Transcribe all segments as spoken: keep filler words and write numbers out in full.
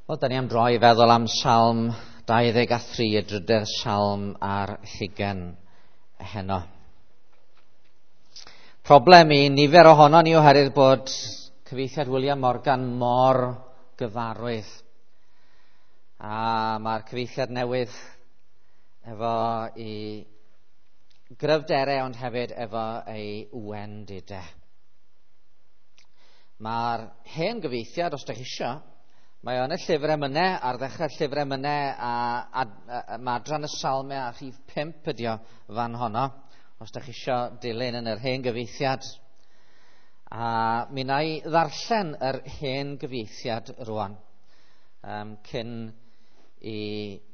Wel, da ni am droi i feddwl am Salm dau ddeg a thri, y drydedd Salm ar hugain heno. Problem i nifer ohono ni oherwydd bod cyfieithiad William Morgan mor gyfarwydd. A mae'r cyfieithiad newydd efo i gryfderau ond hefyd efo ei wendidau. Mae'r hen gyfieithiad, os ydych chi isio, mae o yn y llyfr emynau, ar ddechrau'r llyfr emynau, a, a, a, a mae adran y salmau a rhif pump ydi o fan honno, os ydych chi isio dilyn yn yr hen gyfieithiad. A mi wna i ddarllen yr hen gyfieithiad rwan, um, cyn i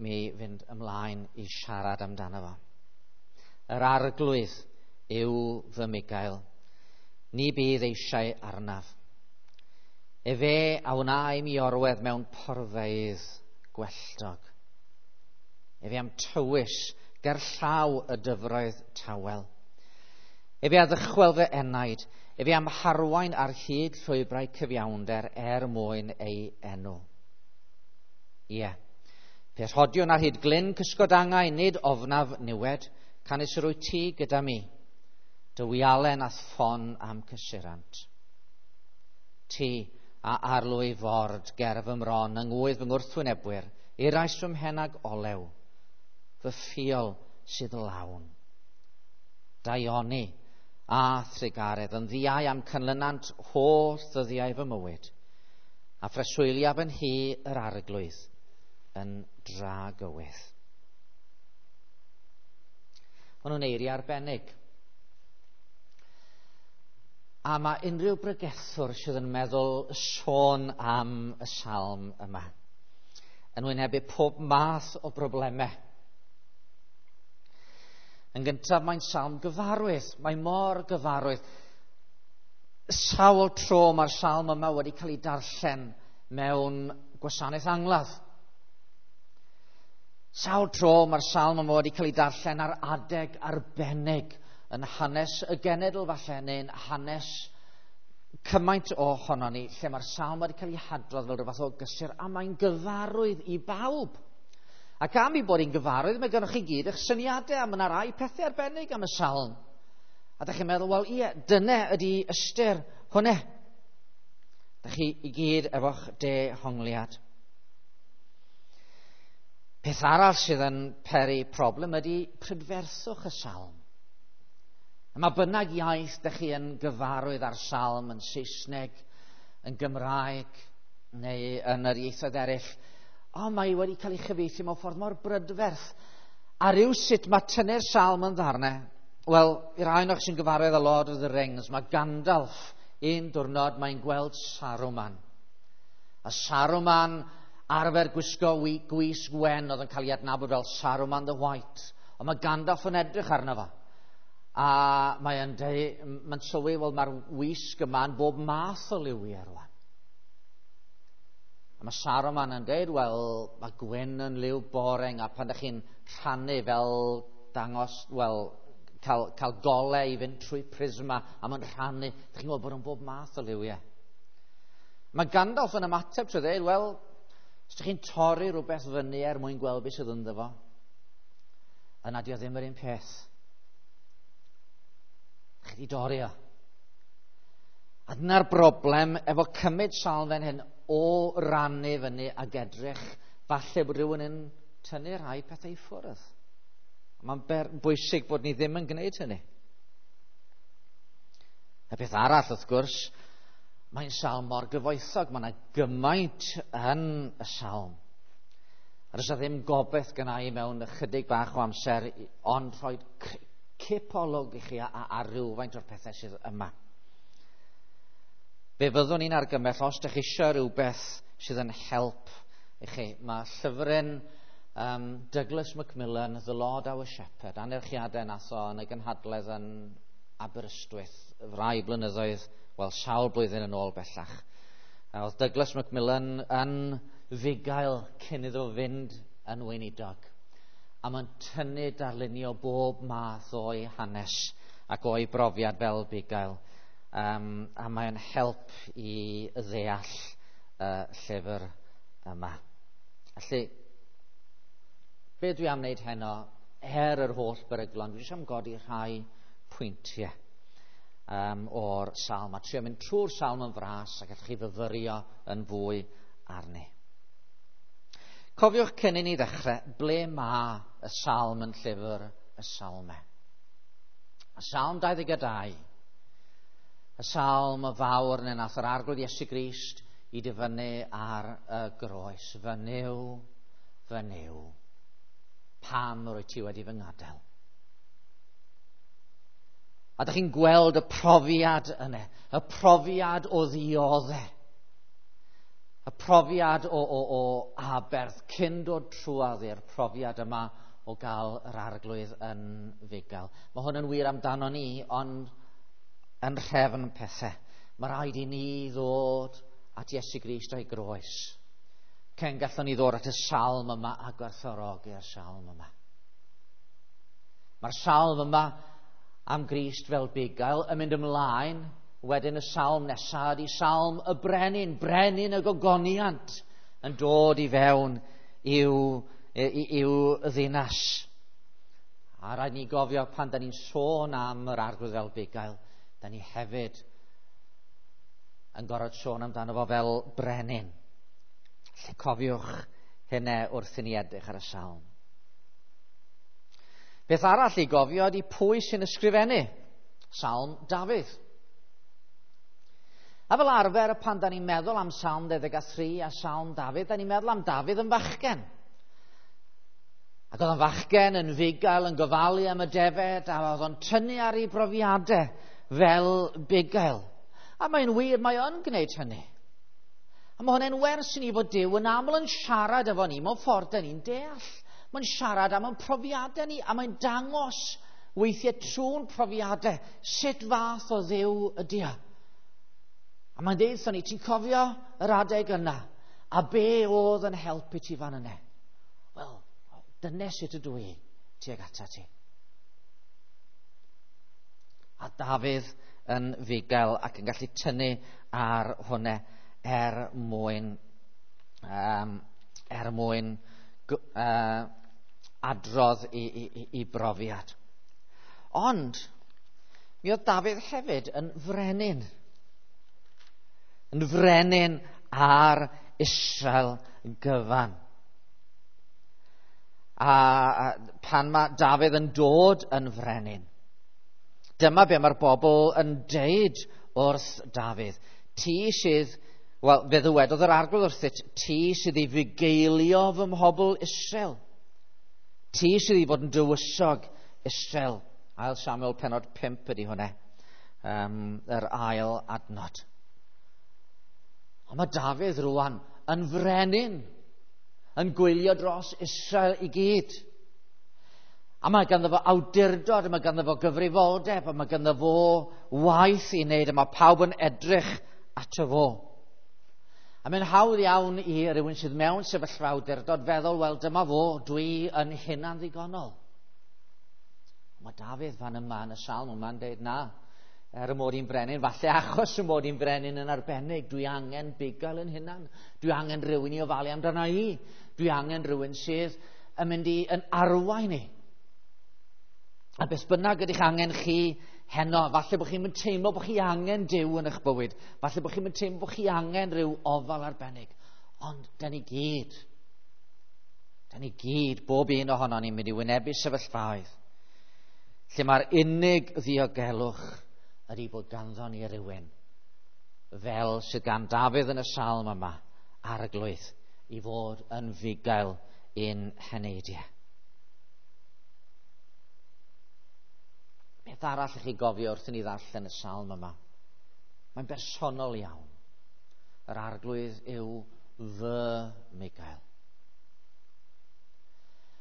mi fynd ymlaen i siarad amdano fo. Yr arglwydd yw fy migael, ni bydd eisiau arnaf. Efe a wna i mi orwedd mewn porfeydd gwelltog. Efe am tywys gerllaw y dyfroedd tawel. Efe a ddychwel fy enaid, efe am harwain ar hyd llwybrau cyfiawnder er mwyn ei enw. Ie, pe rhodiwn ar hyd glyn cysgod angau, nid ofnaf niwed, canys yr wyt ti gyda mi, dy wialen a'th ffon am cysurant. Ti a arlwy ford ger fy mron yng ngwydd fy ngwrthwynebwyr, irais fy mhen ag olew, fy ffiol sydd lawn. Daioni a thrugaredd yn ddiau am canlynant holl ddyddiau fy mywyd, a phreswyliaf yn hi yr arglwydd yn dragywydd. Maen nhw'n eiriau arbennig. A mae unrhyw bregethwr sydd yn meddwl sôn am y salm yma yn wynebu pob math o broblemau. Yn gyntaf, mae'n salm gyfarwydd. Mae mor gyfarwydd. Sawl tro mae'r salm yma wedi cael ei darllen mewn gwasanaeth angladd. Sawl tro mae'r salm yma wedi cael ei darllen ar adeg arbennig yn hanes y genedl falle, neu'n hanes cymaint ohono ni, lle mae'r salm wedi cael ei hadrodd fel rhywbeth o gysur, a mae'n gyfarwydd i bawb. Ac am ei bod hi'n gyfarwydd, mae gennych chi gyd eich syniadau, a mae yna rai pethau arbennig am y salm. A dach chi'n meddwl, wel ie, dyna ydy ystyr hwnna. Dach chi i gyd efo'ch dehongliad. Peth arall sydd yn peri problem ydy prydferthwch y salm. Mae bynnag iaith dych chi yn gyfarwydd ar salm, yn Saesneg, yn Gymraeg, neu yn yr ieithoedd eraill, o, mae wedi cael ei chyfieithu mewn ffordd mor brydferth. A ryw sut mae tynnu'r salm yn ddarnau. Wel, i'r rhai ohonoch sy'n gyfarwydd â Lord of the Rings, mae Gandalf un diwrnod mae'n gweld Saruman. A Saruman arfer gwisgo gwisg wen oedd yn cael ei adnabod fel Saruman the White. Ond mae Gandalf yn edrych arno fo. A mae'n mae'n sylwi, wel, mae'r wisg yma yn bob math o liwiau rwan. A mae Saruman yn dweud, wel, mae gwyn yn liw boreng, a pan ydych chi'n rhannu fel dangos, wel, cael, cael golau i fynd trwy prisma, a mae'n rhannu, ydych chi'n gweld bod yn bob math o liwiau. Mae Gandalf yn ymateb trwy dweud, wel, os ydych chi'n torri rhywbeth fyny er mwyn gweld beth sydd ynddo fo, yna dio ddim yr un peth. Chi wedi dorri o. A dyna'r broblem efo cymryd salm fan hyn o rannu fyny ag edrych, falle bod rhywun yn tynnu rhai pethau i ffwrdd. Mae'n bwysig bod ni ddim yn gwneud hynny. Y peth arall, wrth gwrs, mae'n salm mor gyfoethog. Mae yna gymaint yn y salm. A does ddim gobaith gynna i mewn ychydig bach o amser, ond rhoi cipolwg i chi ar rywfaint o'r pethau sydd yma. Fe fyddwn ni'n argymell, os ydych chi eisiau rhywbeth sydd yn help i chi, mae llyfryn um, Douglas Macmillan, The Lord Our Shepherd, anerchiadau nath o yn y gynhadledd yn Aberystwyth, rai blynyddoedd, wel, sawl blwyddyn yn ôl bellach. Oedd Douglas Macmillan yn fugail cyn iddo fynd yn weinidog. A mae'n tynnu darlunio bob math o'i hanes ac o'i brofiad fel bugail. Um, a mae'n help i ddeall uh, llyfr yma. Felly, be dwi am wneud heno, er yr holl beryglon, dwi jyst am godi rhai pwyntiau um, o'r salm, a trio mynd trwy'r salm yn fras a gallwch chi fyfyrio yn fwy arni. Cofiwch cyn i ni ddechrau, ble mae y salm yn llyfr y salmau? Y salm dau ddeg dau, y salm y fawr neu nath yr Arglwydd Iesu Grist i dyfynnu ar y groes. Fy Nuw, fy Nuw, pam rwyt ti wedi fy ngadael? A dych chi'n gweld y profiad yna, y profiad o ddioddau, y profiad o, o, o aberth cyn dod trwadd i'r profiad yma o gael yr Arglwydd yn fugail. Mae hwn yn wir amdano ni, ond yn rhefn pethau. Mae rhaid i ni ddod at Iesu Grist a'i groes. Cyn gallwn ni ddod at y salm yma a gwerthfawrogi'r salm yma. Mae'r salm yma am Grist fel bugail yn mynd ymlaen wedyn y salm nesaf ydy salm y brenin, brenin y gogoniant yn dod i fewn i'w, i'w ddinas. A rhaid ni gofio pan da ni'n sôn am yr Arglwydd fel bugail, da ni hefyd yn gorfod sôn amdano fo fel brenin. Felly cofiwch hynny wrth i ni edrych ar y salm. Beth arall i gofio ydy pwy sy'n ysgrifennu Salm Dafydd. A fel arfer, pan da ni'n meddwl am Salm dau ddeg tri a Salm Dafydd, da ni'n meddwl am Dafydd yn fachgen. Ac oedd o'n fachgen yn fugail, yn gofalu am y defed, a oedd o'n tynnu ar ei brofiadau fel bugail. A mae'n wir, mae o'n gwneud hynny. A mae hwnna'n wers i ni fod Duw yn aml yn siarad efo ni mewn ffordd da ni'n deall. Mae'n siarad am ein profiadau ni, a mae'n dangos weithiau trwy'n profiadau sut fath o Dduw ydy o. A mae'n deud wrthon ni, ti'n cofio yr adeg yna, a be oedd yn helpu ti fan yna? Wel, dyna sut ydw i tuag ata ti. A Dafydd yn fugail ac yn gallu tynnu ar hwnna er mwyn, um, er mwyn uh, adrodd i, i, i brofiad. Ond, mi oedd Dafydd hefyd yn frenin. Yn frenin ar Israel gyfan. A, a pan mae Dafydd yn dod yn frenin, dyma be mae'r bobl yn deud wrth Dafydd. Ti sydd, wel, fe ddywedodd yr Arglwydd wrthyt, ti sydd i fugeilio fy mhobl Israel. Ti sydd i fod yn dywysog Israel. Ail Samuel penod pump ydy hwnna, um, yr ail adnod. Ond mae Dafydd rwan yn frenin, yn gwylio dros Israel i gyd. A mae ganddo fo awdurdod, a mae ganddo fo gyfrifoldeb, a mae ganddo fo waith i wneud, a mae pawb yn edrych ato fo. A mae'n hawdd iawn i rywun sydd mewn sefyllfa awdurdod feddwl, wel dyma fo, dwi yn hunan ddigonol. Mae Dafydd fan yma yn y salm yma'n dweud, na, er y mod i'n brenin, falle achos y mod i'n brenin yn arbennig, dwi angen bugail yn hunan, dwi angen rhywun i ofalu amdano i, dwi angen rhywun sydd yn mynd i yn arwain i. A beth bynnag ydych angen chi heno, falle bod chi'n mynd teimlo bod chi angen Duw yn eich bywyd, falle bod chi'n mynd teimlo bod chi angen rhyw ofal arbennig, ond da ni gyd, da ni gyd, bob un ohono ni'n mynd i wynebu sefyllfaoedd lle mae'r unig ddiogelwch ydy bod ganddo ni rywun fel sydd gan Dafydd yn y salm yma, Arglwydd, i fod yn fugail i'n heneidiau. Beth arall i chi gofio wrth i ni ddarllen y salm yma? Mae'n bersonol iawn. Yr Arglwydd yw fy mugail.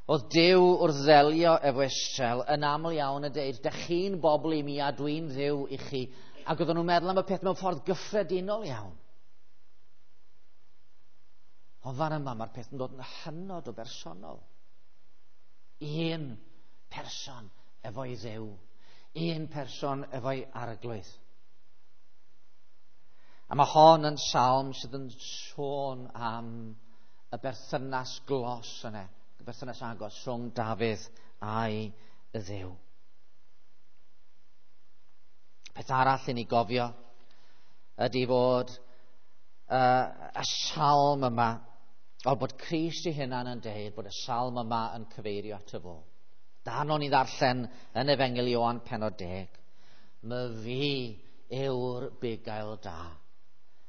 Oedd Duw wrth ddelio efo Israel yn aml iawn yn deud, dych chi'n bobl i mi a dwi'n Dduw i chi. Ac oedden nhw'n meddwl am y peth mewn ffordd gyffredinol iawn. Ond fan yma mae'r peth yn dod yn hynod o bersonol. Un person efo'i Dduw. Un person efo'i Arglwydd. A mae hon yn salm sydd yn sôn am y berthynas glos yna, y berthynas agos rhwng Dafydd a'i Dduw. Peth arall i ni gofio ydy fod uh, y salm yma, o bod Crist ei hunan yn deud bod y salm yma yn cyfeirio ato fo. Dan o'n i ddarllen yn Efengyl Ioan pennod deg. Myfi yw'r bugail da.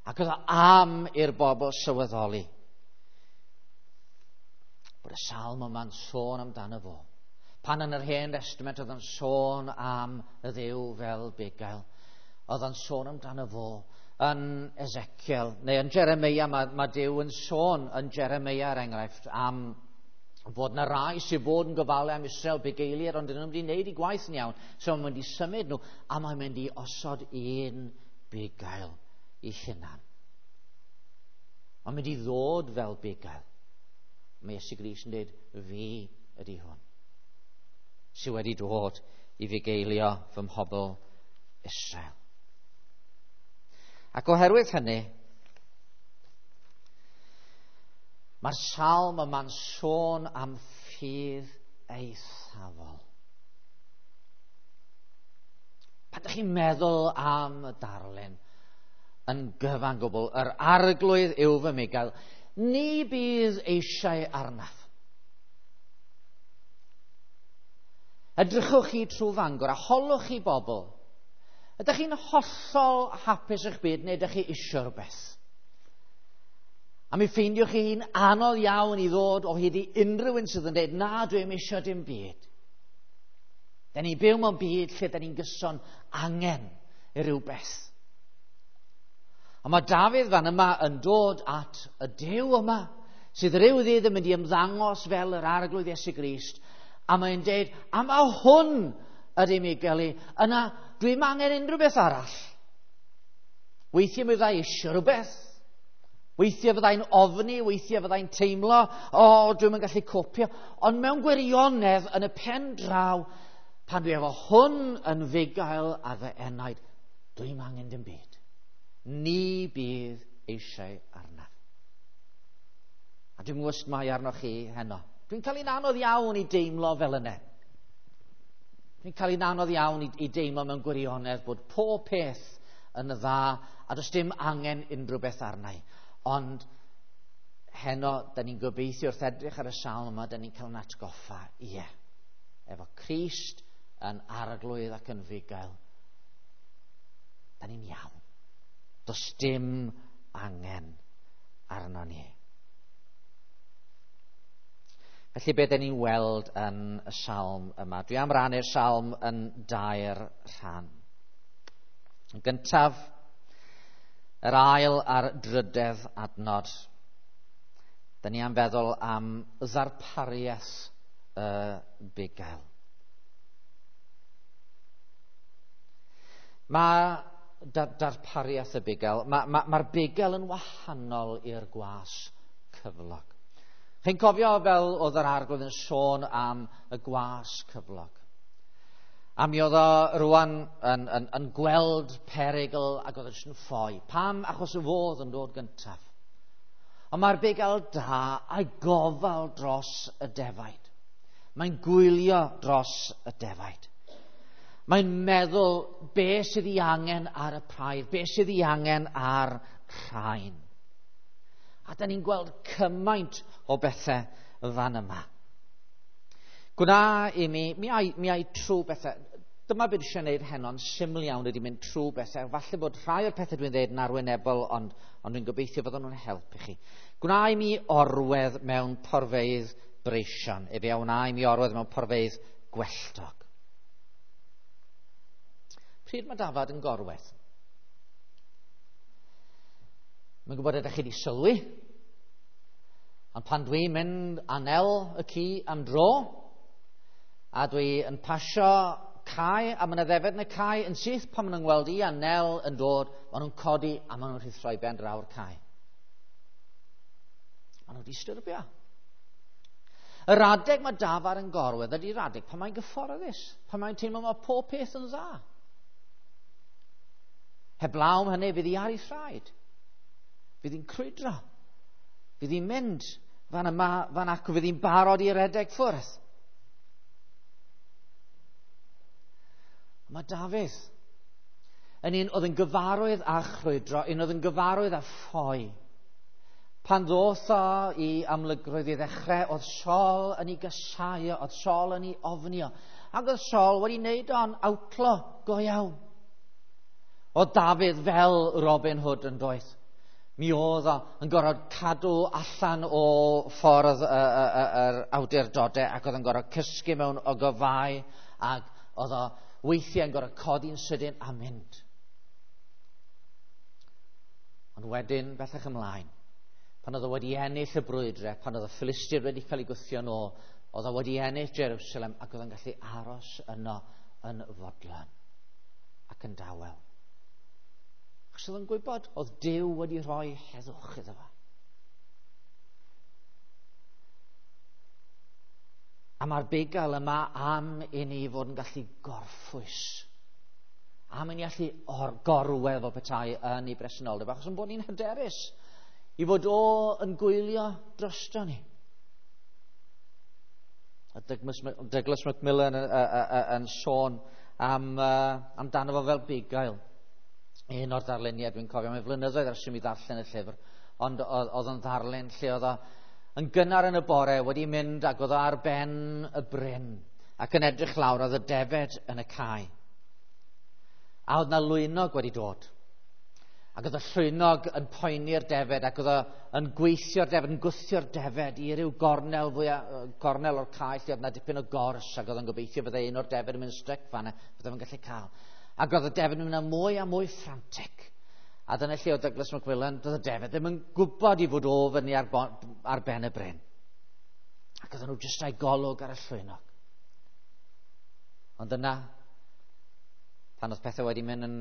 Ac oedd o am i'r bobl sylweddoli bod y salm yma'n sôn amdano fo. Pan yn yr Hen Testament oedd yn sôn am y Dduw fel bugail, oedd yn sôn amdano fo. Yn Ezekiel, neu yn Jeremia, mae, mae Duw yn sôn yn Jeremia, er enghraifft, am fod na rai sydd fod yn gofalu am Israel bugeiliaid, ond dyn nhw'n mynd i wneud i gwaith yn iawn. So mae'n mynd i symud nhw, a mae'n mynd i osod un bugail i hunan. Mae'n mynd i ddod fel bugail. Mae Iesu Grist yn dweud, fi ydy hwn, sydd wedi dod i fugeilio fy mhobl Israel. Ac oherwydd hynny, mae'r salm yma'n sôn am ffydd eithafol. Pan ydych chi'n meddwl am y darlun yn gyfan gwbl, yr arglwydd yw fy mugail, ni bydd eisiau arnaf. Edrychwch chi trwy Fangor a holwch chi bobl. Ydych chi'n hollol hapus eich byd neu ydych chi isio rhywbeth? A mi ffeindiwch chi'n anodd iawn i ddod o hyd i unrhyw un sydd yn dweud, na, dwi'm isio dim byd. Da ni'n byw mewn byd lle da ni'n gyson angen i rywbeth. Ond mae Dafydd fan yma yn dod at y Duw yma, sydd ryw ddydd yn mynd i ymddangos fel yr Arglwydd Iesu Grist, a mae'n dweud, a mae hwn ydy Miguel i, yna dwi'm angen unrhyw beth arall. Weithiau mi fyddai eisiau rhywbeth. Weithiau fyddai'n ofni, weithiau fyddai'n teimlo, o, oh, dwi'm yn gallu copio. Ond mewn gwirionedd, yn y pen draw, pan dwi efo hwn yn fugail ar fy enaid, dwi'm angen dim byd. Ni bydd eisiau arnaf. A dwi'n gwybod sut mae arnoch chi heno. Dwi'n cael un anodd iawn i deimlo fel yna. Dwi'n cael un anodd iawn i, i deimlo mewn gwirionedd bod pob peth yn dda a does dim angen unrhyw beth arna i. Ond heno, da ni'n gobeithio wrth edrych ar y salm yma, da ni'n cael yn atgoffa, ie, efo Crist yn arglwydd ac yn fugail, da ni'n iawn. Does dim angen arno ni. Felly beth ni'n weld yn y salm yma? Dwi am rannu'r salm yn dair rhan. Yn gyntaf, yr ail a'r drydedd adnod. Da ni am feddwl am ddarpariaeth y bugail. Mae darpariaeth y bugail, mae'r ma, ma bugail yn wahanol i'r gwas cyflog. Chi'n cofio fel oedd yr Arglwydd yn sôn am y gwas cyflog. A mi oedd o rwan yn, yn, yn gweld perygl ac oedd yn ffoi. Pam? Achos y fodd yn dod gyntaf. Ond mae'r bugail da a'i gofal dros y defaid. Mae'n gwylio dros y defaid. Mae'n meddwl be sydd ei angen ar y praidd, be sydd ei angen ar rhain. A da ni'n gweld cymaint o bethau fan yma. Gwna i mi, mi ai, mi ai trwy bethau. Dyma beth eisiau gwneud heno'n syml iawn ydy mynd trwy bethau. Falle bod rhai o'r pethau dwi'n dweud yn arwynebol, ond, ond dwi'n gobeithio fydden nhw'n helpu chi. Gwna i mi orwedd mewn porfeydd breision. Efe a wna i mi orwedd mewn porfeydd gwelltog. Pryd mae dafad yn gorwedd? Mae'n gwybod ydych chi wedi sylwi. Ond pan dwi'n mynd â Nel y ci am dro, a dwi yn pasio cae, a mae yna ddefed yn y cae, yn syth pan maen nhw'n gweld i a Nel yn dod, maen nhw'n codi a maen nhw'n rhuthro i ben draw'r cae. Maen nhw'n disturbio. Yr adeg mae dafad yn gorwedd ydy'r adeg pan mae'n gyfforddus, pan mae'n teimlo mae pob peth yn dda. Heblaw am hynny, fydd hi ar ei thraed. Fydd hi'n crwydro. Fydd hi'n mynd. Fan yma, fan acw, fydd hi'n barod i redeg ffwrdd. Mae Dafydd yn un oedd yn gyfarwydd â chrwydro, un oedd yn gyfarwydd â ffoi. Pan ddoth o i amlygrwydd i ddechrau, oedd Saul yn ei gysau, oedd Saul yn ei ofnio. Ac oedd Saul wedi wneud o'n outlaw go iawn. Oedd Dafydd fel Robin Hood yn doedd. Mi oedd o yn gorfod cadw allan o ffordd yr awdurdodau ac oedd yn gorfod cysgu mewn ogofau ac oedd o weithiau yn gorfod codi'n sydyn a mynd. Ond wedyn, bellach ymlaen, pan oedd o wedi ennill y brwydrau, pan oedd y Philistiaid wedi cael ei gwthio nôl, oedd o wedi ennill Jerusalem ac oedd o'n gallu aros yno yn fodlon ac yn dawel. Achos oedd o'n gwybod, oedd Duw wedi rhoi heddwch iddo fo. A mae'r bugail yma am i ni fod yn gallu gorffwys. Am i ni allu or gorwedd o petai yn ei bresenoldeb, achos yn bod ni'n hyderus i fod o yn gwylio drosto ni. A Douglas, Douglas Macmillan yn, yn, yn sôn am, uh, amdano fo fel bugail. Un o'r darluniau dwi'n cofio, mae'n flynyddoedd ers i mi ddarllen y llyfr, ond oedd o'n ddarllen lle oedd o yn gynnar yn y bore wedi mynd ac oedd o ar ben y bryn ac yn edrych lawr oedd y defed yn y cae. A oedd na lwynog wedi dod. Ac oedd y llwynog yn poeni'r defed ac oedd o yn gweithio'r defed, yn gwthio'r defed i ryw gornel, fwya, gornel o'r cae lle oedd na dipyn o gors ac oedd o'n gobeithio byddai un o'r defed yn mynd styc fanna, byddai fo'n gallu cael. Ac oedd y defed yn mynd mwy a mwy frantic. A dyna lle oedd Douglas Macmillan, doedd y defed ddim yn gwybod i fod o fyny ar, ar ben y bryn. Ac oedden nhw jyst â'i golwg ar y llwynog. Ond yna, pan oedd pethau wedi mynd yn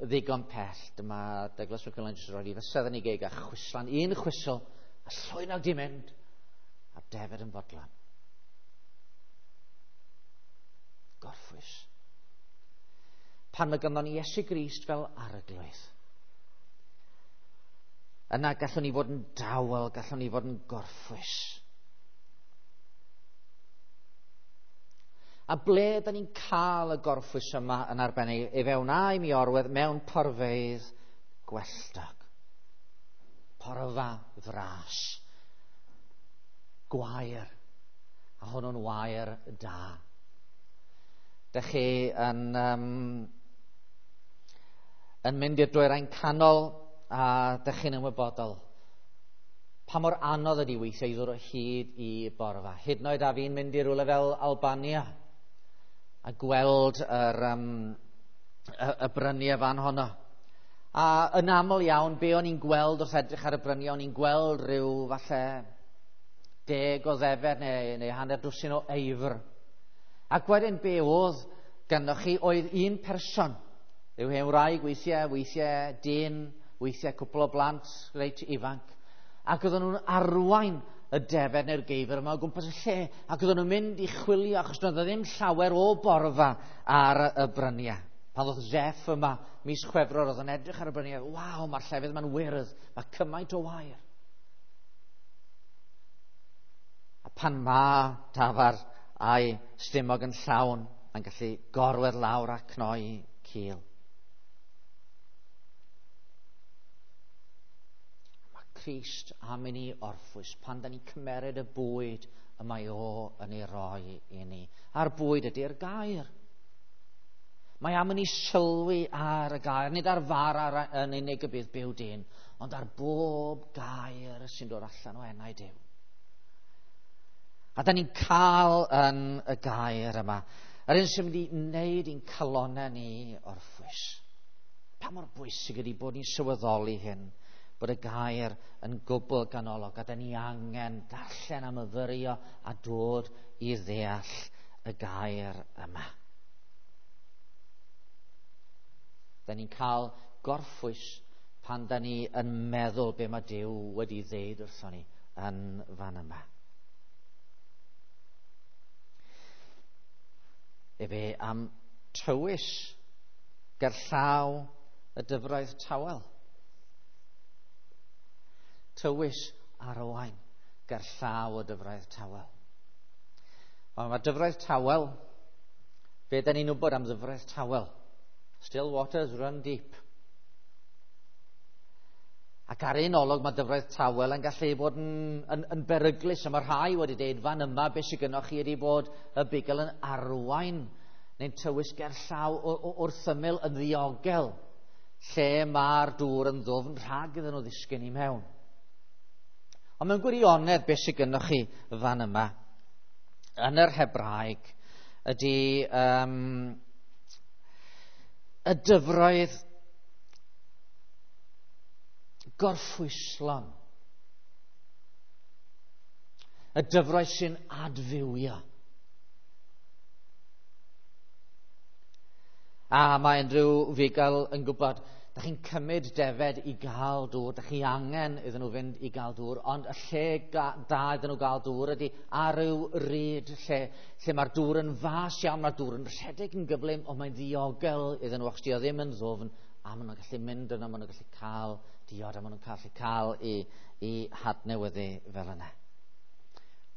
ddigon pell, dyma Douglas Macmillan jyst rhoi ei fysedd yn ei geg a chwislan, un chwisl, a llwynog di mynd, a'r defed yn fodlon. Gorffwys. Pan mae ganddo ni Iesu Grist fel arglwydd, yna gallwn ni fod yn dawel, gallwn ni fod yn gorffwys. A ble da ni'n cael y gorffwys yma yn arbennig? I fewn a i mi orwedd mewn porfeydd gwelltog. Porfa fras. Gwair. A hwnnw'n wair da. Dych chi yn, um, yn mynd i'r dwyrain canol a dych chi'n ymwybodol pa mor anodd ydi weithiau i ddod o hyd i borfa. Hyd yn oed a fi'n mynd i rywle fel Albania a gweld yr, um, y, y bryniau fan honno. A yn aml iawn, be o'n i'n gweld wrth edrych ar y bryniau, o'n i'n gweld rhyw falle deg o ddefed neu, neu hanner dwsin o eifr. Ac wedyn be oedd ganddoch chi oedd un person, rhyw hen wraig weithiau, weithiau dyn, weithiau cwpl o blant reit ifanc. Ac oedden nhw'n arwain y defed neu'r geifr yma o gwmpas y lle, ac oedden nhw'n mynd i chwilio, achos doedd ddim llawer o borfa ar y bryniau. Pan ddoth Zeff yma mis Chwefror, oedd yn edrych ar y bryniau, waw, mae'r llefydd yma'n wyrdd, mae cymaint o wair. A pan mae dafar a'i stumog yn llawn, mae'n gallu gorwedd lawr a cnoi cil. Crist am i ni orffwys pan da ni'n cymeryd y bwyd y mae o yn ei roi i ni. A'r bwyd ydy'r gair. Mae am i ni sylwi ar y gair, nid ar fara yn unig y bydd byw dyn, ond ar bob gair sy'n dod allan o enau Duw. A da ni'n cael yn y gair yma, yr un sy'n mynd i wneud i'n calonnau ni orffwys. Pa mor bwysig ydy bod ni'n sylweddoli hyn, bod y gair yn gwbl ganolog, a da ni angen darllen a myfyrio a dod i ddeall y gair yma. Da ni'n cael gorffwys pan da ni yn meddwl be mae Duw wedi ddeud wrthon ni yn fan yma. Efe am tywys gerllaw y dyfroedd tawel. Tywys arwain ger llaw y dyfroedd tawel. Ond mae dyfroedd tawel, be da ni'n wybod am ddyfroedd tawel? Still waters run deep. Ac ar un olwg mae dyfroedd tawel yn gallu bod yn, yn, yn beryglus. A mae rhai wedi dweud fan yma beth sydd gynnoch chi ydy bod y bugail yn arwain neu'n tywys ger llaw wrth ymyl yn ddiogel lle mae'r dŵr yn ddwfn rhag iddyn nhw ddisgyn i mewn. Ond mewn gwirionedd beth sydd gynnoch chi fan yma yn yr Hebraeg ydy um, y dyfroedd gorffwyslon. Y dyfroedd sy'n adfywio. A mae unrhyw fugail yn gwybod, da chi'n cymryd defed i gael dŵr, da chi angen iddyn nhw fynd i gael dŵr, ond y lle da iddyn nhw gael dŵr ydy ar ryw ryd lle, lle mae'r dŵr yn fas iawn, mae'r dŵr yn rhedeg yn gyflym, ond mae'n ddiogel iddyn nhw, achos di o ddim yn ddwfn, a maen nhw'n gallu mynd yno, maen nhw'n gallu cael diod, a maen nhw'n gallu cael i, i hadnewyddu fel yna.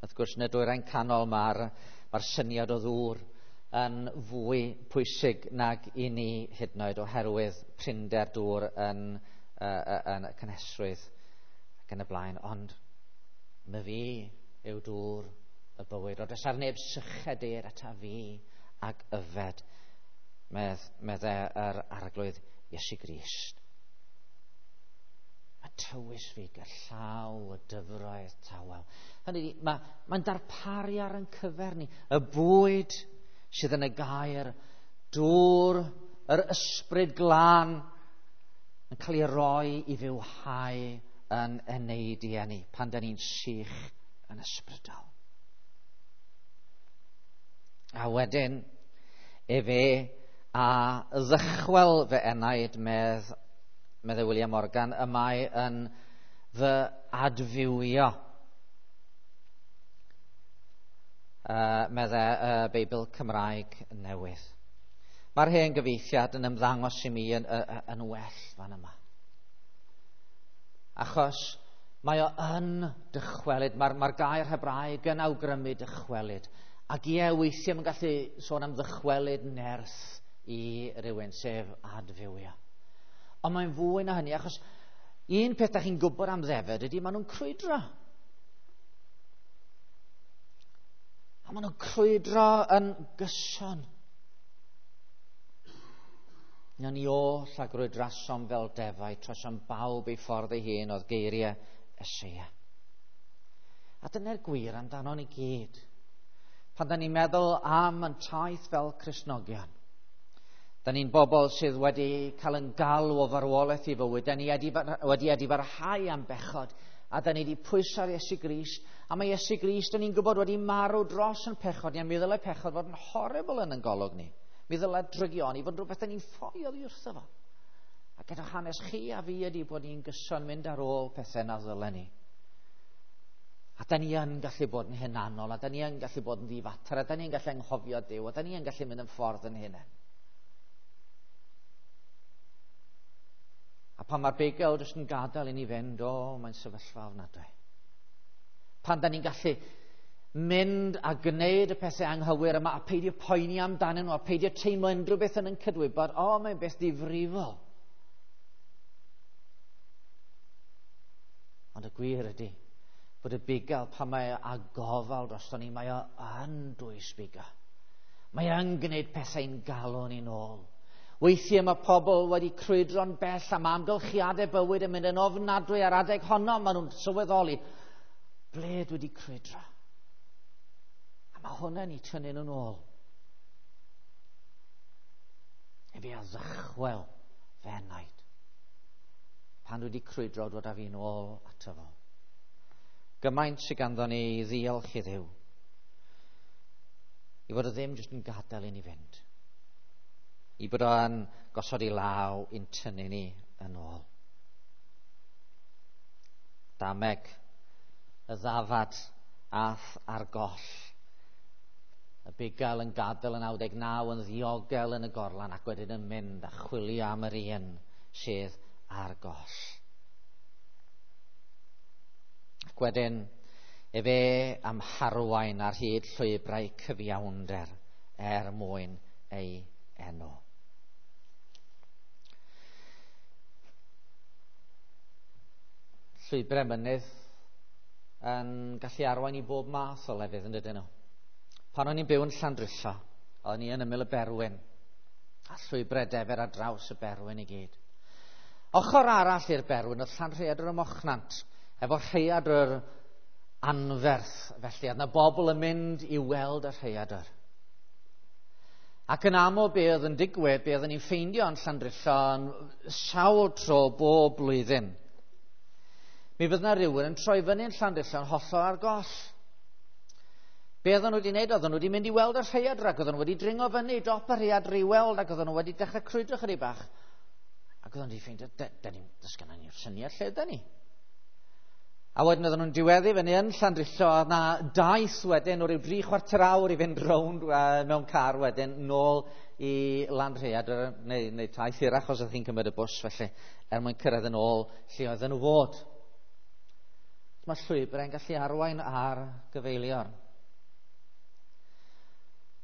Wrth gwrs, yn y dwyrain canol mae'r mae'r syniad o ddŵr yn fwy pwysig nag i ni hyd yn oed oherwydd prinder dŵr yn, uh, yn y cynhesrwydd ac yn y blaen. Ond my fi yw dŵr y bywyd. Os ar neb syched eir ata fi ac yfed, medd, medde yr Arglwydd Iesu Grist. Mae tywys fi ger llaw y dyfroedd tawel. Hynny ydi, mae, mae'n darparu ar ein cyfer ni y bwyd sydd yn y gair, dŵr, yr ysbryd glân yn cael ei roi i fywhau yn eneidiau ni pan da ni'n sych yn ysbrydol. A wedyn, efe a ddychwel fy enaid, medd, medde William Morgan, y mae yn fy adfywio. Uh, medde y uh, Beibl Cymraeg Newydd. Mae'r hen gyfieithiad yn ymddangos i mi yn, yn, yn well fan yma. Achos mae o yn dychwelyd, mae'r mae gair Hebraeg yn awgrymu dychwelyd. Ac ie, weithiau mae'n gallu sôn am ddychwelyd nerth i rywun, sef adfywio. Ond mae'n fwy na hynny, achos un peth da chi'n gwybod am ddefed ydy maen nhw'n crwydro. A maen nhw'n crwydro yn gyson. Na ni oll a grwydrasom fel defaid, trosom bawb ei ffordd ei hun oedd geiriau Eseia. A dyna'r gwir amdano ni gyd. Pan da ni'n meddwl am yn taith fel Cristnogion, da ni'n bobl sydd wedi cael yn galw o farwolaeth i fywyd, da ni wedi edifarhau am bechod, a da ni wedi pwyso ar Iesu Grist, a mae Iesu Grist, da ni'n gwybod, wedi marw dros yn pechod ni, a mi ddylai pechod fod yn horrible yn yn golwg ni. Mi ddylai drygioni fod yn rhywbeth da ni'n ffoi oddi wrtho fo. A gyda hanes chi a fi ydi bod ni'n gyson mynd ar ôl pethau na ddylen ni. A da ni yn gallu bod yn hunanol, a da ni yn gallu bod yn ddifater, a da ni yn gallu anghofio Duw, a da ni yn gallu mynd yn ffordd yn hunain. A pan mae'r bugail jyst yn gadael i ni fynd, o, mae'n sefyllfa ofnadwy. Pan da ni'n gallu mynd a gwneud y pethau anghywir yma a peidio poeni amdanyn nhw a peidio teimlo unrhyw beth yn yn cydwybod, o, mae'n beth difrifol. Ond y gwir ydy bod y bugail pan mae a gofal drosto ni, mae o yn dwys bugail. Mae yn gwneud pethau'n galw ni'n ôl. Weithiau mae pobl wedi crwydro'n bell am amgylchiadau bywyd yn mynd yn ofnadwy ar adeg honno, maen nhw'n sylweddoli, ble dwi wedi crwydro? A mae hwnna'n eu tynnu nhw'n ôl. Efe a ddychwel fy enaid. Pan dwi wedi crwydro, dod â fi'n ôl ato fo. Gymaint sydd ganddo ni i ddiolch i Dduw. I fod o ddim jyst yn gadael i ni fynd. I bod o'n gosod i law i'n tynnu ni yn ôl. Dameg, y ddafad ath ar goll. Y bugail yn gadael yn naw deg naw yn ddiogel yn y gorlan ac wedyn yn mynd a chwilio am yr un sydd ar goll. Ac wedyn, Efe am harwain ar hyd llwybrau cyfiawnder er mwyn ei enw. Llwybrau mynydd yn gallu arwain i bob math o lefydd, yn dydyn nhw. Pan o'n i'n byw yn Llandrillo, o'n i yn ymyl y Berwyn, a llwybrau defer ar draws y Berwyn i gyd. Ochr arall i'r Berwyn oedd Llanrhaeadr ym Mochnant, efo rhaeadr anferth, felly, oedd yna bobl yn mynd i weld y rhaeadr. Ac yn aml be oedd yn digwydd, be oedden ni'n ffeindio yn Llandrillo yn sawl tro bob blwyddyn. Mi fydd yna rhywun yn troi fyny yn Llandrillo yn hollol ar goll. Be oedden nhw wedi wneud? Oedden nhw wedi mynd i weld y rhaeadr ac oedden nhw wedi dringo fyny dop y rhaeadr i weld ac oedden nhw wedi dechrau crwydro chydig bach. Ac oedden nhw wedi ffeindio, da ni, does gynnon ni'r syniad lle da ni. A wedyn oedden nhw'n diweddu fyny yn Llandrillo, a na daith wedyn o ryw dri chwarter awr i fynd rownd uh, mewn car wedyn nôl i Lanrhaeadr, neu, neu taith hirach os ydych chi'n cymryd y bws felly, er mwyn cyrraedd yn ôl lle oedden nhw fod. Mae llwybrau'n gallu arwain ar gyfeiliorn.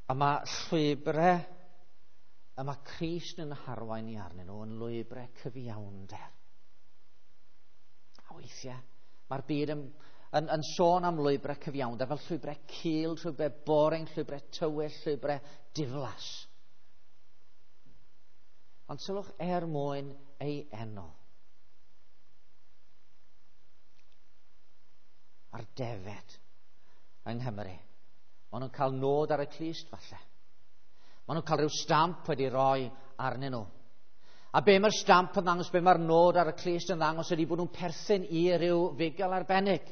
A mae llwybrau y mae Crist yn harwain ni arnyn nhw yn lwybrau cyfiawnder. A weithiau, mae'r byd yn, yn, yn sôn am lwybrau cyfiawnder fel llwybrau cul, llwybrau boring, llwybrau tywyll, llwybrau diflas. Ond sylwch er mwyn ei enw. A'r defed yng Nghymru. Maen nhw'n cael nod ar y clust falle. Maen nhw'n cael rhyw stamp wedi roi arnyn nhw. A be mae'r stamp yn ddangos, be mae'r nod ar y clust yn ddangos ydy bod nhw'n perthyn i ryw fugail arbennig.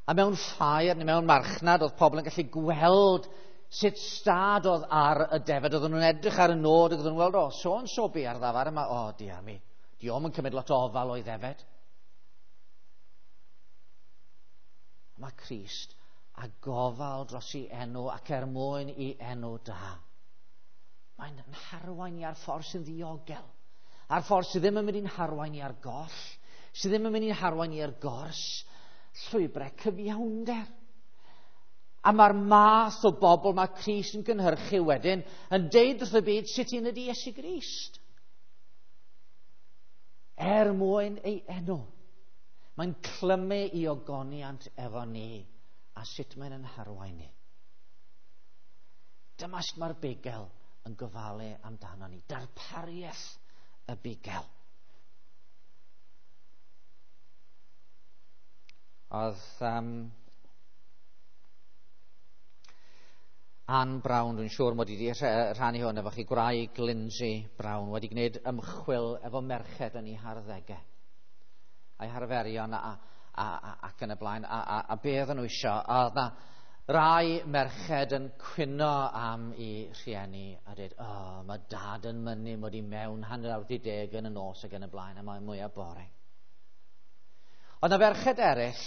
A mewn ffair neu mewn marchnad oedd pobl yn gallu gweld sut stad oedd ar y defed. Oedden nhw'n edrych ar y nod ac oedden nhw'n gweld, o, so yn so be ar ddafar yma, o, diar mi, dio'm yn cymryd lot o ofal o'i ddefed. Mae Crist a gofal dros ei enw ac er mwyn i enw da. Mae'n harwain i ar ffordd sy'n ddiogel, ar ffordd sydd ddim yn mynd i'n harwain i ar goll, sydd ddim yn mynd i'n harwain i ar gors, llwybrau cyfiawnder. A mae'r math o bobl mae Crist yn gynhyrchu wedyn yn deud wrth y byd sut un ydy Iesu Grist. Er mwyn ei enw. Mae'n clymu i ogoniant efo ni a sut mae'n yn harwain ni. Dyma sut mae'r bugail yn gofalu amdano ni. Darpariaeth y bugail. Oedd um, Anne Brown, dwi'n siŵr mod i wedi rhannu hwn efo chi, gwraig Lindsay Brown, wedi gwneud ymchwil efo merched yn ei harddegau, a'i harferion a, a, a, ac yn y blaen, a, a, a be oedden nhw isio. A oedd na rai merched yn cwyno am i rhieni a dweud, o, oh, mae dad yn mynnu mod i mewn hanner awr di deg yn y nos ac yn y blaen, a mae'n mwyaf bore. Oedd na ferched eraill,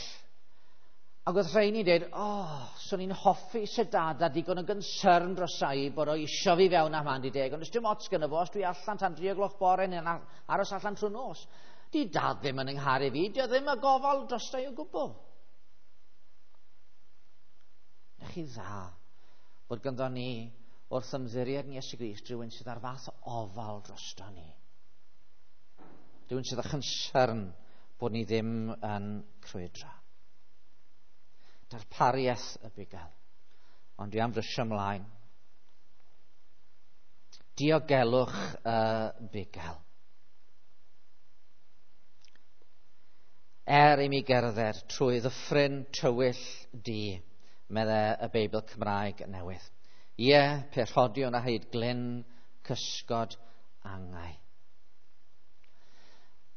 ac oedd rheini'n dweud, o, oh, swn i'n hoffi se dad a digon o gynsyrn drosai bod o isio fi fewn am hanner di deg, ond dim ots gynno fo os dwi allan tan dri o gloch bore neu'n aros allan trwy nos. Di dad ddim yn yngharu fi, di o ddim y gofal drostai o gwbl. Na chi dda bod ganddo ni wrth ymddiried yn Iesu Grist rhywun sydd ar fath o ofal drosto ni. Rhywun sydd â chynsyrn bod ni ddim yn crwydro. Darpariaeth y bugail. Ond dwi am frysio ymlaen. Diogelwch y bugail. Er i mi gerdded trwy ddyffryn tywyll du, medde y Beibl Cymraeg newydd. Ie, pe rhodiwn a hyd glyn cysgod angau.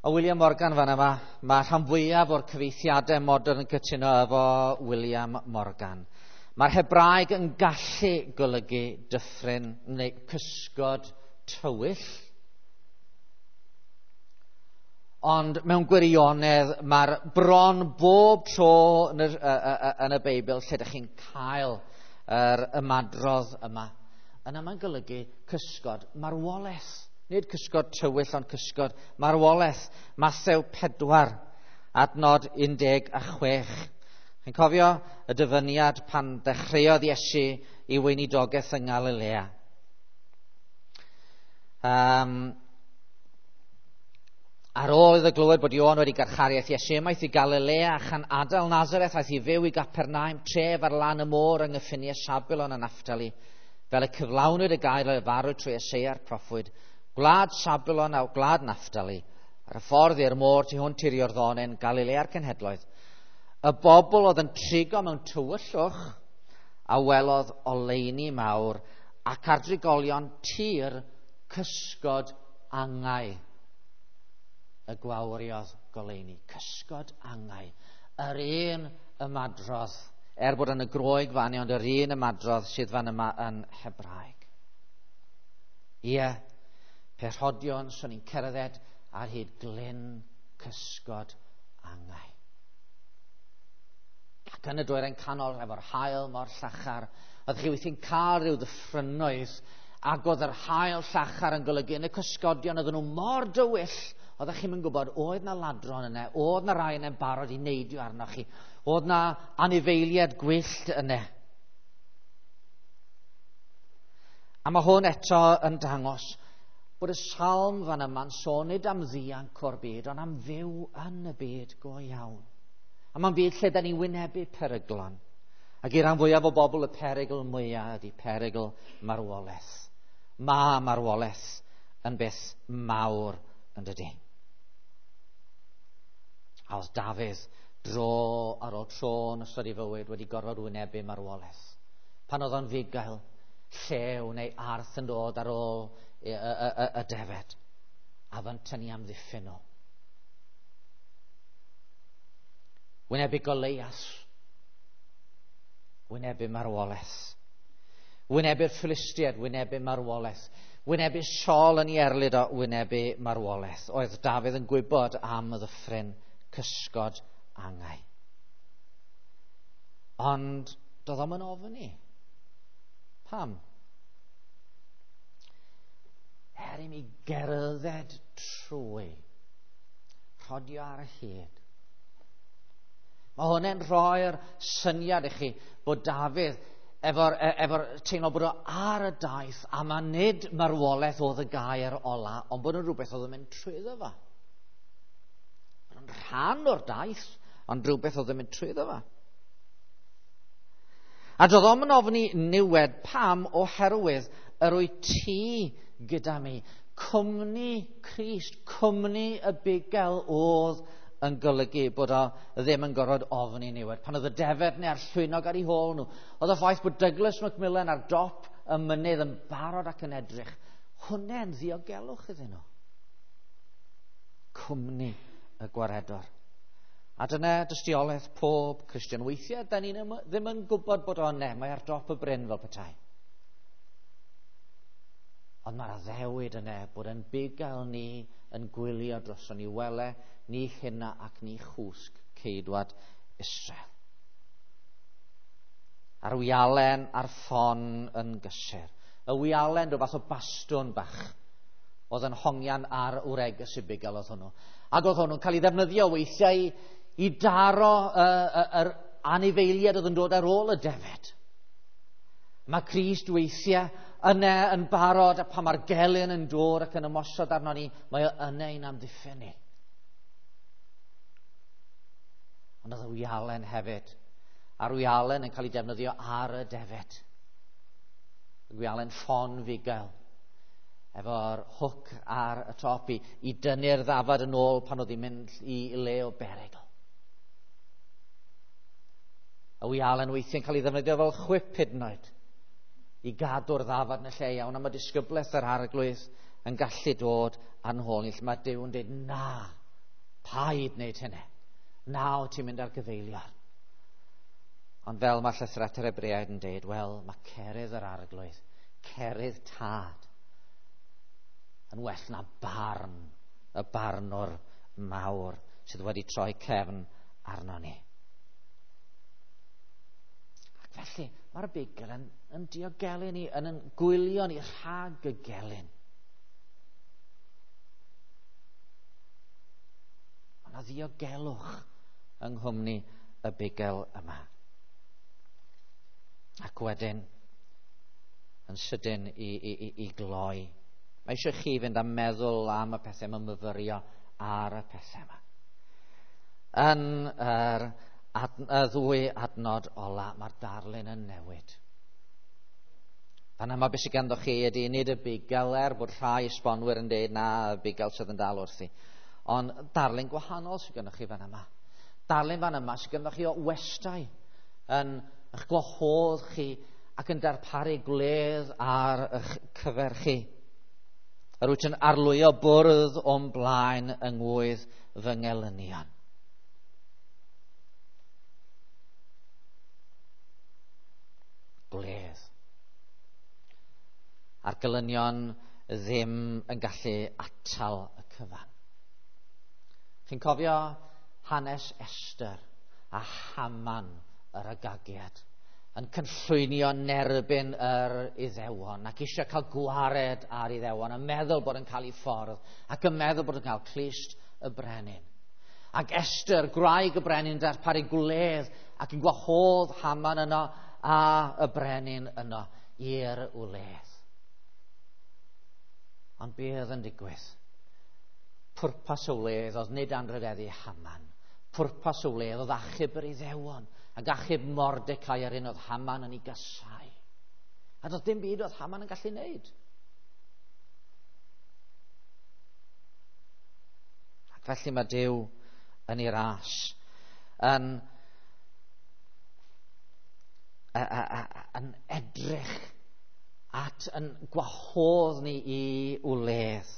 O William Morgan fan yma, mae rhan fwyaf o'r cyfieithiadau modern yn cytuno efo William Morgan. Mae'r Hebraeg yn gallu golygu dyffryn neu cysgod tywyll. Ond mewn gwirionedd, mae'r bron bob tro yn y, yn y Beibl lle ydych chi'n cael yr ymadrodd yma. Yna mae'n golygu cysgod marwolaeth. Nid cysgod tywyll, ond cysgod marwolaeth. Mathew pedwar Adnod un deg a chwech. Chi'n cofio y dyfyniad pan ddechreuodd Iesu i weinidogaeth yng Ngalilea. Um, ar ôl iddo glywed bod Ioan wedi garcharu, aeth Iesu ymaith i Galilea, a chan adael Nazareth aeth i fyw i Gapernaum, tref ar lan y môr yng nghyffiniau Sabulon a Naphtali, fel y cyflawnwyd y gair a farwyd trwy Eseia'r proffwyd, gwlad Sabulon a gwlad Naphtali, ar y ffordd i'r môr tu hwnt i'r Iorddonen, Galilea'r cenhedloedd. Y bobl oedd yn trigo mewn tywyllwch a welodd oleuni mawr ac ar drigolion tir cysgod angau y gwawriodd goleuni. Cysgod angau. Yr un ymadrodd, er bod yn y Groeg fan, ond yr un ymadrodd sydd fan yma yn Hebraeg. Ie, pe rhodion, swn i'n cerdded ar hyd glyn cysgod angau. Ac yn y dwyrain canol, efo'r haul mor llachar, oedd chi weithiau'n cael rhyw ddyffrynnoedd, ac oedd yr haul llachar yn golygu yn y cysgodion, oedden nhw mor dywyll, oeddech chi'm yn gwybod, oedd na ladron yna, oedd na rai yna'n barod i neidio arnoch chi, oedd na anifeiliaid gwyllt yna. A mae hwn eto yn dangos bod y salm fan yma'n sôn nid am ddianc o'r byd, ond am fyw yn y byd go iawn. A mae'n byd lle da ni'n wynebu peryglon. Ac i ran fwyaf o bobl y perygl mwyaf ydy perygl marwolaeth. Mae marwolaeth yn beth mawr yn dydy. A oedd Dafydd dro ar ôl tro yn ystod ei fywyd wedi gorfod wynebu marwolaeth. Pan oedd o'n fugail, llew neu arth yn dod ar ôl y, y, y, y defed, a fy'n tynnu amddiffyn nhw. Wynebu Goleias, wynebu marwolaeth. Wynebu'r Philistiaid, wynebu marwolaeth. Wynebu Saul yn ei erlid o, wynebu marwolaeth. Oedd Dafydd yn gwybod am y ddyffryn cysgod angau. Ond doedd o'm yn ofni. Pam? Er i mi gerdded trwy, rhodio ar y hyd. Mae hwnna'n rhoi'r syniad i chi bod Dafydd efo'r efo teimlo bod o ar y daith, a mae nid marwolaeth oedd y gair ola, ond bod yn rhywbeth oedd yn mynd trwyddo fo. Bod yn rhan o'r daith, ond rhywbeth oedd yn mynd trwyddo fo. A doedd o'm yn ofni niwed. Pam? Oherwydd yr wyt ti gyda mi. Cwmni Crist, cwmni y bugail oedd yn golygu bod o ddim yn gorfod ofni niwed. Pan oedd y defed neu a'r llwynog ar ei hôl nhw, oedd y ffaith bod Douglas Macmillan ar dop y mynydd yn barod ac yn edrych, hwnna'n ddiogelwch iddyn nhw. Cwmni y gwaredwr. A dyna dystiolaeth pob Cristion. Weithiau, da ni ddim yn gwybod bod o yna, mae ar dop y bryn fel petai. Ond mae'r addewid yna bod yn bugail ni yn gwylio droson ni, wele ni hynna ac ni chwsg ceidwad Israel. A'r wialen a'r ffon yn gysur. Y wialen, rhyw fath o bastwn bach, oedd yn hongian ar wregys y bugail oedd hwnnw. Ac oedd hwnnw'n cael ei ddefnyddio weithiau i, i daro yr anifeiliaid oedd yn dod ar ôl y defed. Mae Crist weithiau yna yn barod, a pan mae'r gelyn yn dod ac yn ymosod arno ni, mae o yna i'n amddiffyn ni. Ond oedd y wialen hefyd. A'r wialen yn cael ei defnyddio ar y defed. Y wialen ffon fugail, efo'r hwc ar y top i, i dynnu'r ddafad yn ôl pan oedd hi'n mynd i le o berygl. Y wialen weithiau'n cael ei ddefnyddio fel chwip hyd yn oed, i gadw'r ddafad yn y lle iawn, a mae disgyblaeth yr Arglwydd yn gallu dod a'n hôl ni, lle mae Duw yn dweud, na, paid wneud hynny. Na, o ti'n mynd ar gyfeiliorn. Ond fel mae llythyr at yr Hebreaid yn dweud, wel, mae cerydd yr Arglwydd, cerydd tad, yn well na barn, y barnwr mawr sydd wedi troi cefn arno ni. Ac felly, mae'r bugail yn, yn diogelu ni, yn, yn gwylio ni rhag y gelyn. Ond Mae yna ddiogelwch yng nghwmni y bugail yma. Ac wedyn, yn sydyn i, i, i, i gloi, mae eisiau chi fynd a meddwl am y pethau yma, myfyrio ar y pethau yma. Yn yr ad, y ddwy adnod ola, mae'r darlun yn newid. Fan yma beth sydd ganddo chi ydy nid y bugail, er bod rhai esbonwyr yn dweud na, y bugail sydd yn dal wrthi. Ond darlun gwahanol sydd ganddo chi fan yma. Darlun fan yma sydd ganddo chi o westai yn eich gwahodd chi ac yn darparu gwledd ar eich cyfer chi. Yr wyt yn arlwyo bwrdd o'm blaen yng ngwydd fy ngelynion. Gwledd. A'r gelynion ddim yn gallu atal y cyfan. Chi'n cofio hanes Esther a Haman yr Agagiad yn cynllwynio nerbyn yr Iddewon ac eisiau cael gwared ar Iddewon yn meddwl bod yn cael ei ffordd ac yn meddwl bod yn cael clust y brenin. Ac Esther, gwraig y brenin, darparu gwledd ac yn gwahodd Haman yno a y brenin yno i'r wledd. Ond beth yn digwydd? Pwrpas y wledd oedd nid anrhydeddu Haman. Pwrpas y wledd oedd achub yr Iddewon ac achub Mordecai yr un oedd Haman yn ei gasau. A doedd dim byd oedd Haman yn gallu wneud. Ac felly mae Duw yn ei ras yn, a, a, a, yn edrych at yn gwahodd ni i wledd.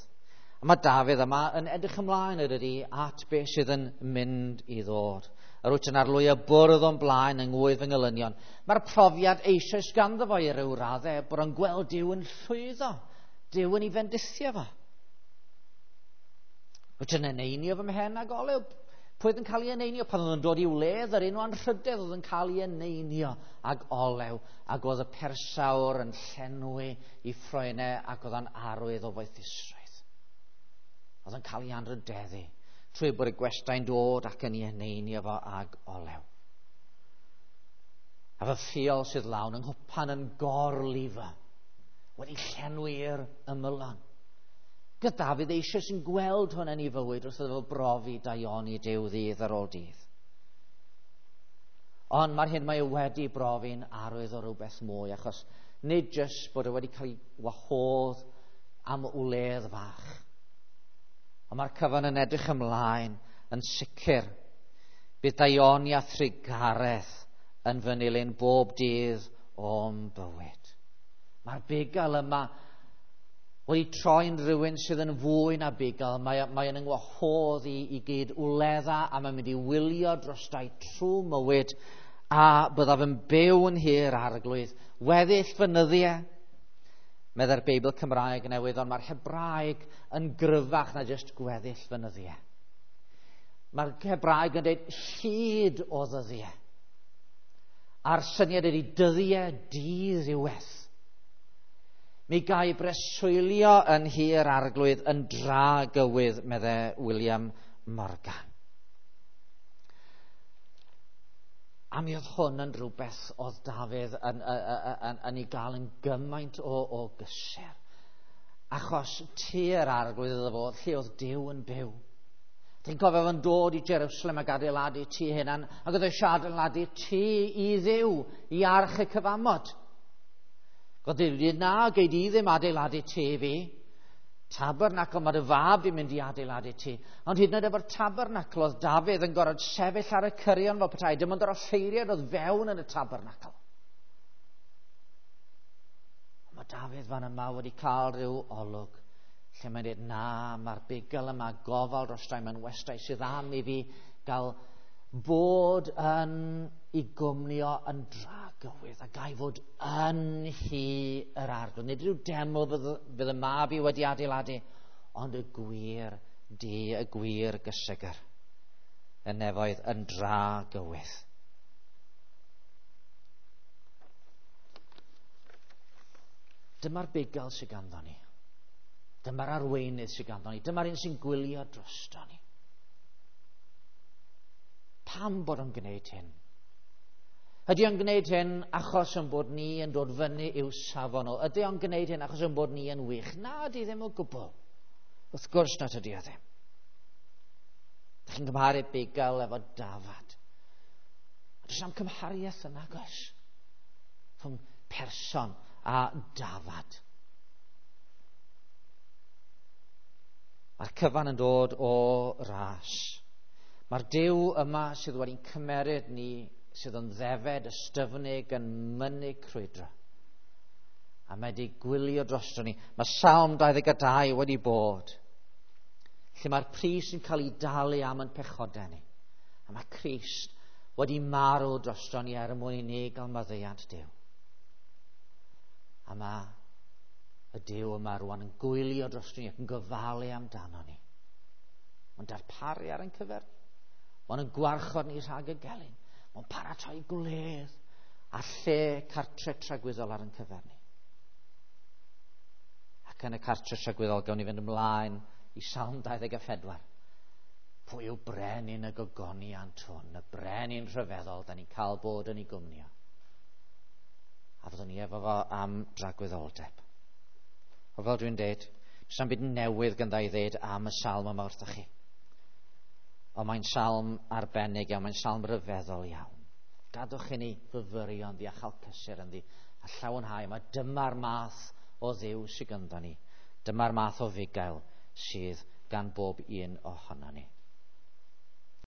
A mae Dafydd yma yn edrych ymlaen ydy at beth sydd yn mynd i ddod. Yr wyt yn arlwyo bwrdd o'n blaen yng ngwydd fy ngelynion. Mae'r profiad eisoes ganddo fo i ryw raddau bod o'n gweld Duw yn llwyddo. Duw yn ei fendithio fo. Wyt yn eneinio fy mhen ag olew. Pwy oedd yn cael ei eneinio? Pan oedd yn dod i wledd, yr enw anrhydedd oedd yn cael ei eneinio ag olew, ac oedd y persawr yn llenwi i ffroenau ac oedd yn arwydd o foethusrwydd. Oedd yn cael ei anrhydeddu trwy bod y gwestai'n dod ac yn ei eneinio fo ag olew. A fy ffiol sydd lawn yng nghwpan yn gorlifo, wedi llenwi'r ymylon. Gyda Dafydd eisoes yn gweld hwn yn ei fywyd wrth iddo fo brofi daioni Duw ddydd ar ôl dydd. Ond mae'r hyn mae e wedi brofi'n arwydd o rywbeth mwy, achos nid jyst bod e wedi cael ei wahodd am wledd fach. Ond mae'r cyfan yn edrych ymlaen yn sicr. Bydd daioni a thrugaredd yn fy nilyn bob dydd o'm bywyd. Mae'r bugail yma wedi troi'n rhywun sydd yn fwy na bugail. Mae, mae yn ngwahodd i, i gyd wledda a mae'n mynd i wylio drostai trwy mywyd a byddaf yn byw yn hir arglwydd. Weddill fy nyddiau, meddai'r Beibl Cymraeg newydd, ond mae'r Hebraeg yn gryfach na jyst gweddill fy nyddiau. Mae'r Hebraeg yn dweud hyd o ddyddiau. A'r syniad ydy dyddiau diddiwedd. Mi gai breswylio yn hir arglwydd yn dragywydd, meddai William Morgan. A mi oedd hwn yn rhywbeth oedd Dafydd yn, yn, yn, yn ei gael yn gymaint o, o gysur. Achos tŷ'r arglwydd iddo fo, lle oedd Duw yn byw. Ti'n cofio fo'n dod i Jerusalem ac adeiladu tŷ hunan, ac oedd eisiau adeiladu tŷ i Dduw, i arch y cyfamod. Oedd Duw wedi, na, gei di ddim adeiladu tŷ fi. Tabernacl, mae dy fab di'n mynd i adeiladu tŷ. Ond hyd yn oed efo'r tabernacl, oedd Dafydd yn gorfod sefyll ar y cyrion fel petai, dim ond yr offeiriad oedd fewn yn y tabernacl. Ond mae Dafydd fan yma wedi cael rhyw olwg lle mae'n dweud, na, mae'r bugail yma gofal drostai, mae'n westai sydd am i fi gael bod yn i gwmnio yn dragywydd a gai fod yn hi yr arglwydd. Nid rhyw deml fydd, fydd y mab i wedi adeiladu, ond y gwir di, y gwir gysegr y nefoedd yn dragywydd. Dyma'r bugail sydd ganddo ni. Dyma'r arweinydd sydd ganddo ni. Dyma'r un sy'n gwylio drosto ni. Pam bod o'n gwneud hyn? Ydy o'n gwneud hyn achos yn bod ni yn dod fyny i'w safon o? Ydy o'n gwneud hyn achos yn bod ni yn wych? Na, ydy ddim o gwbl. Wrth gwrs nad ydy o ddim. Dych chi'n cymharu bugail efo dafad. Does am cymhariaeth yn agos rhwng person a dafad. Mae'r cyfan yn dod o ras. Mae'r Duw yma sydd wedi'n cymeryd ni, sydd yn ddefed, ystyfnig, yn mynnu crwydro. A mae wedi gwylio drosto ni. Mae Salm dau ddeg a dau wedi bod, lle mae'r pris yn cael ei dalu am yn pechodau ni. A mae Crist wedi marw drosto ni er mwyn i ni gael maddeuant Duw. A mae y Duw yma rwan yn gwylio drosto ni ac yn gofalu amdano ni. Mae'n darparu ar ein cyfer. Mae'n gwarchod ni rhag y gelyn. Mae'n paratoi gwledd a lle cartre tragwyddol ar ein cyfer ni. Ac yn y cartre tragwyddol gawn ni fynd ymlaen i Salm dau ddeg a phedwar. Pwy yw brenin y gogoniant hwn, y brenin rhyfeddol, da ni'n cael bod yn ei gwmnio. A fyddwn ni efo fo am dragwyddoldeb. O fel dwi'n deud, does na'm byd newydd gandda i ddeud am y salm yma wrthych chi. Ond mae'n salm arbennig iawn, mae'n salm rhyfeddol iawn. Gadwch i ni fyfyrio ynddi a chael cysur ynddi a llawenhau. Mae dyma'r math o Dduw sydd gyda ni. Dyma'r math o fugail sydd gan bob un ohono ni.